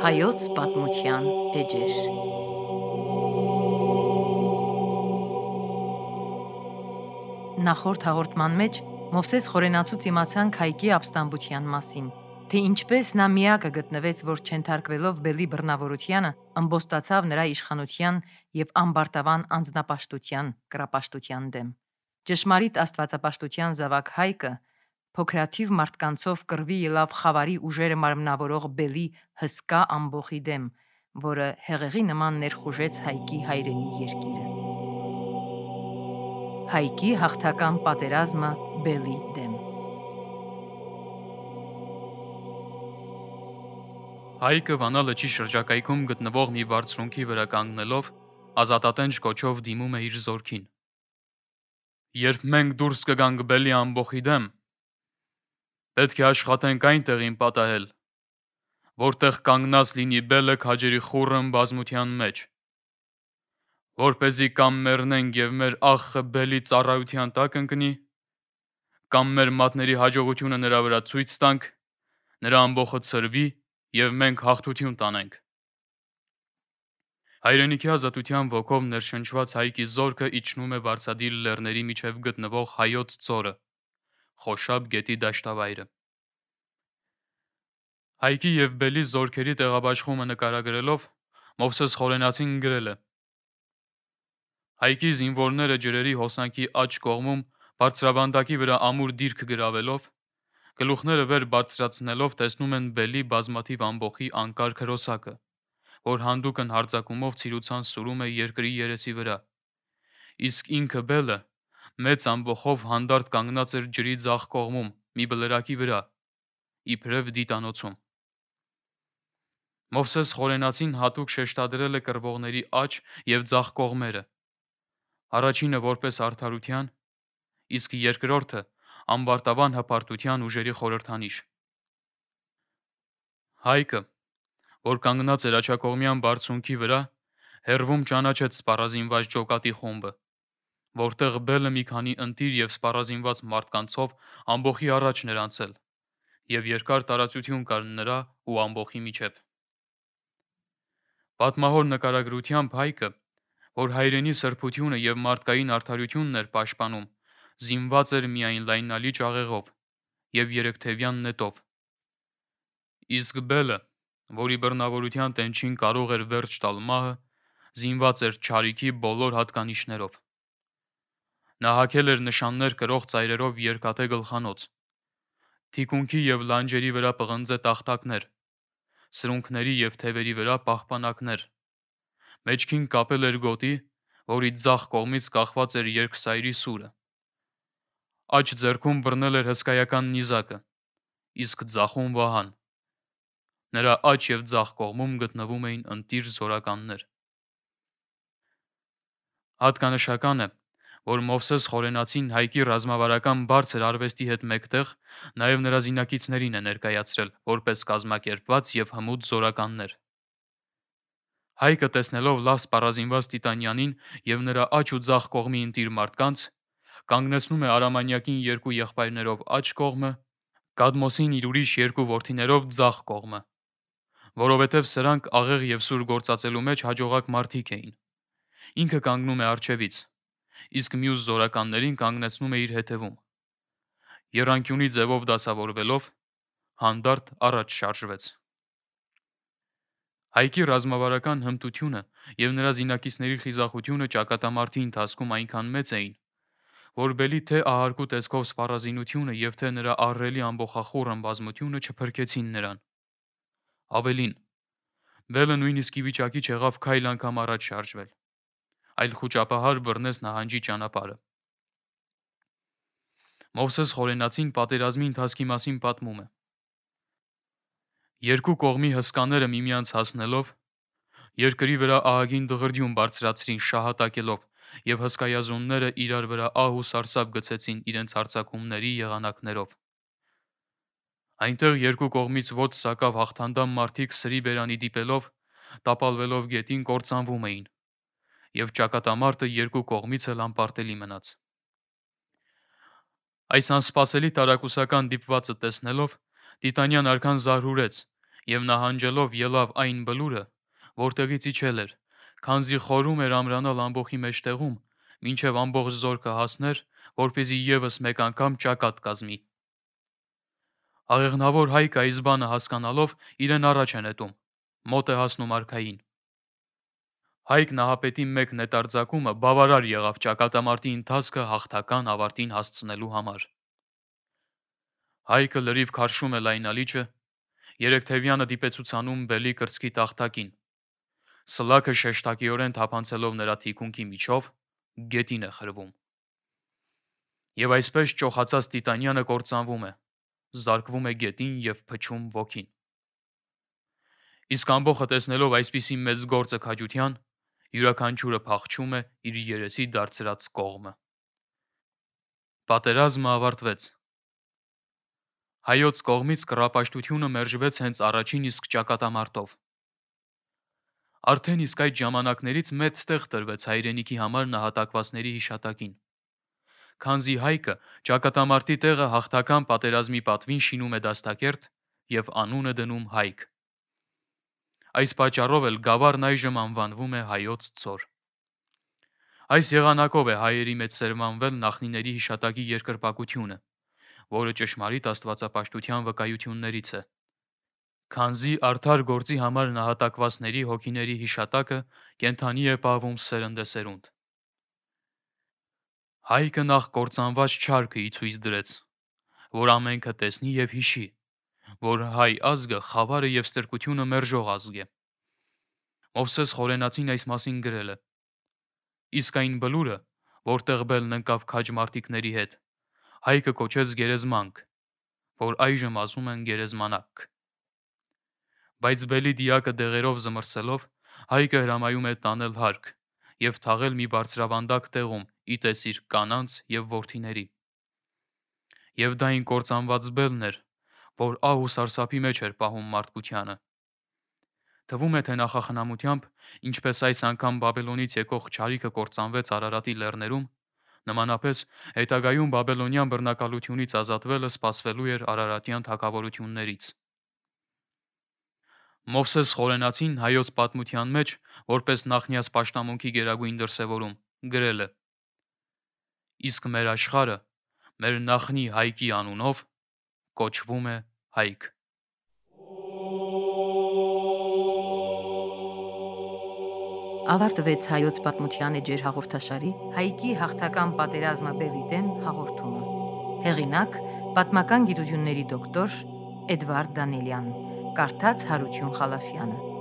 Հայոց պատմության էջեր։ Նախորդ հաղորդման մեջ Մովսես Խորենացուց իմացանք Հայկի ապստամբության մասին, թե ինչպես նա միակը գտնվեց, որ չենթարկվելով Բելի բռնավորությանը, ըմբոստացավ նրա իշխանության և ամբարտավան անձնապաշտության կռապաշտության դեմ։ Ճշմարիտ աստվածապաշտության զավակ Հայկը փոքրաթիվ մարդկանցով կռվի ելավ Խավարի ուժերը մարմնավորող Բելի հսկա ամբոխի դեմ, որը հեղեղի նման ներխուժեց Հայկի հայրենի երկիրը։ Հայկի հաղթական պատերազմը Բելի դեմ։ Հայկը Վանա լճի շրջակայքում գտնվող մի բարձունքի վրա կանգնելով ազատատենչ կոչով դիմում է իր զորքին։ Երբ մենք դուրս կգանք Բելի ամբոխի դեմ, պետք է աշխատենք այն տեղին պատահել, որտեղ կանգնած լինի Բելը քաջերի խուռն բազմության մեջ, որպեսզի կամ մեռնենք և մեր աղխը Բելի ծառայության տակ ընկնի, կամ մեր մատների հաջողությունը նրա վրա ցույց տանք, նրա ամբոխը ցրվի և մենք հաղթություն տանենք։ Հայրենիքի ազատության ոգով ներշնչված Հայկի զորքը իջնում է բարձադիր լեռների միջև գտնվող Հայոց ձորը, Խոշաբ գետի դաշտավայրը։ Հայկի և Բելի զորքերի տեղաբաշխումը նկարագրելով Մովսես Խորենացին գրել է. Հայկի զինվորները ջրերի հոսանքի աջ կողմում բարձրավանդակի վրա ամուր դիրք գրավելով, գլուխները վեր բարձրացնելով տեսնում են Բելի բազմաթիվ ամբոխի անկարգ հրոսակը, որ հանդուկն հարձակումով ցիրուցան սուրում է երկրի երեսի վրա, իսկ ինքը Բելը մեծ ամբոխով հանդարտ կանգնած էր ջրի ձախ կողմում մի բլրակի վրա, իբրև դիտանոցում։ Մովսես Խորենացին հատուկ շեշտադրել է կռվողների աջ և ձախ կողմերը, առաջինը որպես արդարության, իսկ երկրորդը ամբարտավան հպարտության ուժերի խորհրդանիշ։ Հայկը, որ կանգնած էր աջակողմյան բարձունքի վրա, հեռվում ճանաչեց սպառազինված ջոկատի խումբը, որտեղ Բելը մի քանի ընտիր և սպառազինված մարդկանցով ամբոխի առաջ էր անցել, և երկար տարածություն կար նրա ու ամբոխի միջև։ Պատմահոր նկարագրությամբ Հայկը, որ հայրենի սրբությունը և մարդկային արդարությունն էր պաշտպանում, զինված էր միայն լայնալի ճաղեղով և երեքթևյան նետով, իսկ Բելը, որի բռնավորության տենչին կարող էր վերջ տալ մահը, զինված էր չարիքի բոլոր հատկանիշներով։ Նա հագել էր նշաններ կրող ծայրերով երկաթե գլխանոց, թիկունքի և լանջերի վրա պղնձե տախտակներ, սրունքների և թևերի վրա պահպանակներ, մեջքին կապել էր գոտի, որի ձախ կողմից կախված էր երկսայրի սուրը, աջ ձեռքում բռնել էր հսկայական նիզակը, իսկ ձախում վահան։ Նրա աջ և ձախ կողմում գտնվում էին ընտիր զորականներ։ Հատկանշական է, որ Մովսես Խորենացին Հայկի ռազմավարական բարձր արվեստի հետ մեկտեղ նաև նրա զինակիցներին է ներկայացրել որպես կազմակերպված և հմուտ զորականներ։ Հայկը տեսնելով լավ սպառազինված Տիտանյանին և նրա աջ ու ձախ կողմի ընտիր մարդկանց, կանգնեցնում է Արամանյակին երկու եղբայրներով աջ կողմը, Կադմոսին իր ուրիշ երկու որդիներով ձախ կողմը, որովհետև սրանք աղեղ և սուր գործածելու մեջ հաջողակ մարդիկ էին։ Ինքը կանգնում է առջևից, իսկ մյուս զորականներին կանգնեցնում է իր հետևում։ Եռանկյունի ձևով դասավորվելով, հանդարտ առաջ շարժվեց։ Հայկի ռազմավարական հմտությունը և նրա զինակիցների խիզախությունը ճակատամարտի ընթացքում այնքան մեծ էին, որ Բելի թե ահարկու տեսքով սպառազինությունը և թե նրա ահռելի ամբոխախուռն բազմությունը չփրկեցին նրան։ Ավելին, Բելը նույնիսկ ի վիճակի չեղավ քայլ անգամ առաջ շարժվել, այլ խուճապահար բռնեց նահանջի ճանապարհը։ Մովսես Խորենացին պատերազմի ընթացքի մասին պատմում է. Երկու կողմի հսկաները միմյանց հասնելով, երկրի վրա ահագին դղրդյուն բարձրացրին շահատակելով, և հսկայազունները իրար վրա ահ ու սարսափ գցեցին իրենց հարձակումների եղանակներով։ Այնտեղ երկու կողմից ոտք սակավ հաղթանդամ մարդիկ սրի բերանի դիպելով, տապալվելով գետին կործանվում էին, և ճակատամարտը երկու կողմից էլ անպարտելի մնաց։ Այս անսպասելի տարակուսական դիպվածը տեսնելով, Տիտանյան արքան զարհուրեց եւ նահանջելով ելավ այն բլուրը, որտեղից իջել էր, քանզի խորում էր ամրանալ ամբոխի մեջտեղում, մինչև ամբողջ զորքը հասներ, որպեսզի եւս մեկ անգամ ճակատ կազմի։ Աղեղնավոր Հայկը այս բանը հասկանալով իրեն առաջ է նետում, մոտ է հասնում արքային։ Հայկ նահապետի մեկ նետարձակումը բավարար եղավ ճակատամարտի ընթացքը հաղթական ավարտին հասցնելու համար։ Հայկը լրիվ քարշում է լայնալիճը, Երեքթևյանը դիպեցուցանում բելի կրծքի տախտակին։ Սլաքը շեշտակիորեն թափանցելով նրա թիկունքի միջով, գետին է խրվում։ Եվ այսպես ճոխացած Տիտանյանը կործանվում է, զարկվում է գետին եւ փչում ոգին։ Իսկ ամբողը տեսնելով այսպիսի մեծ գործը քաջության, յուրաքանչյուրը փախչում է իր երեսի դարձրած կողմը։ Պատերազմը ավարտվեց։ Հայոց կողմից կռապաշտությունը մերժվեց հենց առաջին իսկ ճակատամարտով։ Արդեն իսկ այդ ժամանակներից մեծ տեղ տրվեց հայրենիքի համար նահատակվածների հիշատակին։ Քանզի Հայկը ճակատամարտի տեղը հաղթական պատերազմի պատվին շինում է դաստակերտ եւ անուն է դնում Հայկ։ Այս պատճառով էլ գավառն այժմ անվանվում է Հայոց ձոր։ Այս եղանակով է հայերի մեջ սերմանվել նախնիների հիշատակի երկրպագությունը, որը ճշմարիտ աստվածապաշտության վկայություններից է։ Քանզի արդար գործի համար նահատակվածների հոգիների հիշատակը կենթանի է պահվում սերնդեսերունդ։ Հայկը նախ կործանված չարքը ի ցույց դրեց, որ ամենքը տեսնի եւ հիշի, որ հայ ազգը խավարը եւ ստրկությունը մերժող ազգ է։ Մովսես Խորենացին այս մասին գրել է. իսկ այն բլուրը, որտեղ բելն ընկավ քաջ մարտիկների հետ, Հայկը կոչեց գերեզմանք, որ այժմ ասում են գերեզմանակ։ Բայց բելի դիակը դեղերով զմրսելով, Հայկը հրամայում է տանել հարկ եւ թաղել մի բարձրավանդակ տեղում ի տեսիր կանանց եւ որդիների։ Եվ դա այն կործանված բելն էր, որ ահ ու սարսափի մեջ էր պահում մարդկությանը։ Թվում է, թե նախախնամությամբ, ինչպես այս անգամ Բաբելոնից եկող չարիքը կործանվեց Արարատի լեռներում, նմանապես հետագայում բաբելոնյան բռնակալությունից ազատվելը սպասվելու էր արարատյան թագավորություններից։ Մովսես Խորենացին հայոց պատմության մեջ, որպես նախնյաց պաշտամունքի գերագույն դրսևորում, գրել է. իսկ մեր աշխարհը, մեր նախնի Հայկի անունով կոչվում է Հայկ։ Ավարտվեց հայոց պատմության էջեր հաղորդաշարի Հայկի հաղթական պատերազմը բելի դեմ հաղորդումը։ Հեղինակ՝ պատմական գիտությունների դոկտոր Էդվարդ Դանիելյան, կարդաց Հարություն Խալաֆյանը։